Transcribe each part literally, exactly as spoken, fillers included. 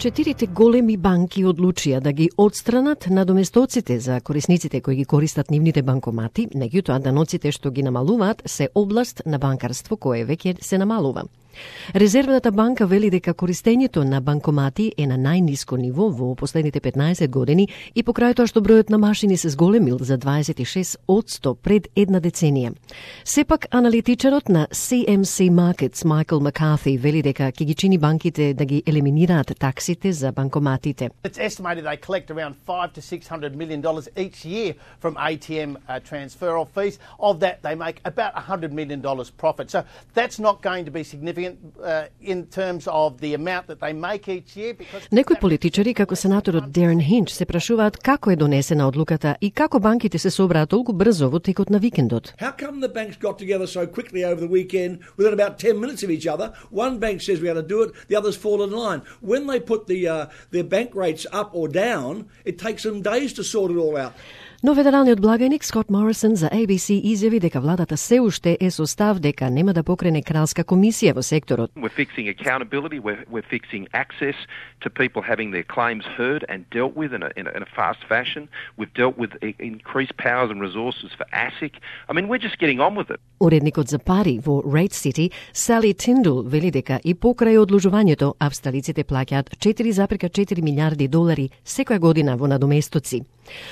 Четирите големи банки одлучија да ги отстранат надоместоците за корисниците кои ги користат нивните банкомати, меѓутоа даноците што ги намалуваат се област на банкарство кое веќе се намалува. Резервната банка вели дека користењето на банкомати е на најниско ниво во последните петнаесет години и покрај тоа што бројот на машини се зголемил за дваесет и шест одсто пред една деценија. Сепак аналитичарот на Си Ем Си Markets Майкл Маккарти вели дека ќе ги чини банките да ги елиминираат таксите за банкоматите. It's estimated they collect around five to six hundred million dollars each year from A T M uh, transferal fees. Of that they make about one hundred million dollars profit. So that's not going to be significant uh, in terms of the amount that they make each year. Because Некои политичари, како сенаторот Дерен Хинч, се прашуваат како е донесена одлуката и како банките се собраат толку брзо во текот на викендот. How come the banks got together so quickly over the weekend within about ten minutes of each other? One bank says we're going to do it, the others fall in line. When they put the uh, their bank rates up or down, it takes them days to sort it all out. Но федералниот благајник Скот Морисон за А Би Си изјави дека владата се уште е со став дека нема да покрене кралска комисија во секторот. We're fixing accountability, we're, we're fixing access to people having their claims heard and dealt with in a, in a, in a fast fashion. We've dealt with increased powers and resources for A S I C. I mean, we're just getting on with it. Уредникот за пари во Рейт Сити, Сали Тиндул, вели дека и покрај одложувањето, австралиците плаќаат четири запирка четири милиарди долари секоја година во надоместоци.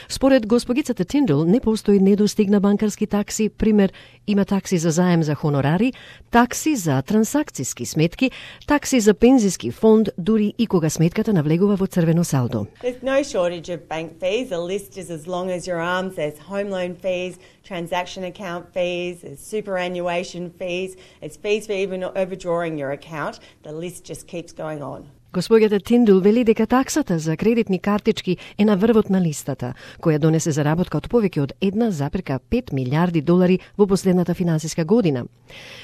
Според госпогицата Тиндул не постои недостигна банкарски такси, пример има такси за заем за хонорари, такси за трансакциски сметки, такси за пензиски фонд, дури и кога сметката навлегува во црвено салдо. There's no shortage of bank fees. The list is as long as your arms. There's home loan fees, transaction account fees, there's superannuation fees, it's fees for even overdrawing your account. The list just keeps going on. Господјата Тиндул вели дека таксата за кредитни картички е на врвот на листата, која донесе заработка од повеќе од една запирка пет милиарди долари во последната финансиска година.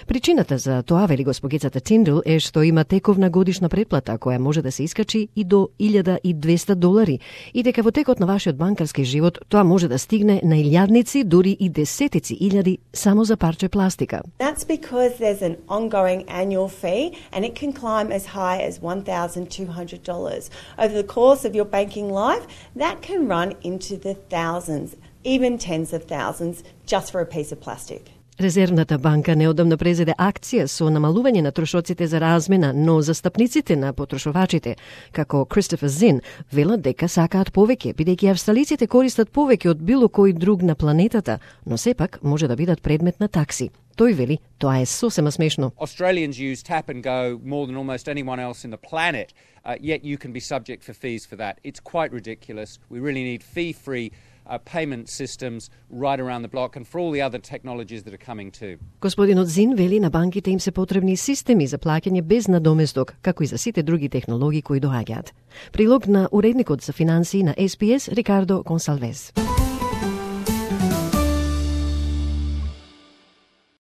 Причината за тоа, вели господјата Тиндул, е што има тековна годишна претплата која може да се искачи и до илјада и двесте долари и дека во текот на вашиот банкарски живот тоа може да стигне на илјадници, дури и десетици илјади само за парче пластика. That's because there's an ongoing annual fee and it can climb as high as one thousand two hundred dollars. Over the course of your banking life, that can run into the thousands, even tens of thousands, just for a piece of plastic. Резервната банка неодамна презеде акција со намалување на трошоците за размена, но застапниците на потрошувачите, како Кристофер Зин, велат дека сакаат повеќе, бидејќи австралиците користат повеќе од било кој друг на планетата, но сепак може да бидат предмет на такси. Тој вели, тоа е сосема смешно. Australians use tap and go more than almost anyone else in the planet, uh, yet you can be subject for fees for that. It's quite ridiculous. We really need fee-free Uh, payment systems right around the block and for all the other technologies that are coming too. Господинот Зин вели на банките им се потребни системи за плаќање без надоместок, како и за сите други технологии кои доаѓаат. Прилог на уредникот за финансии на Ес Би Ес Рикардо Гонсалвес.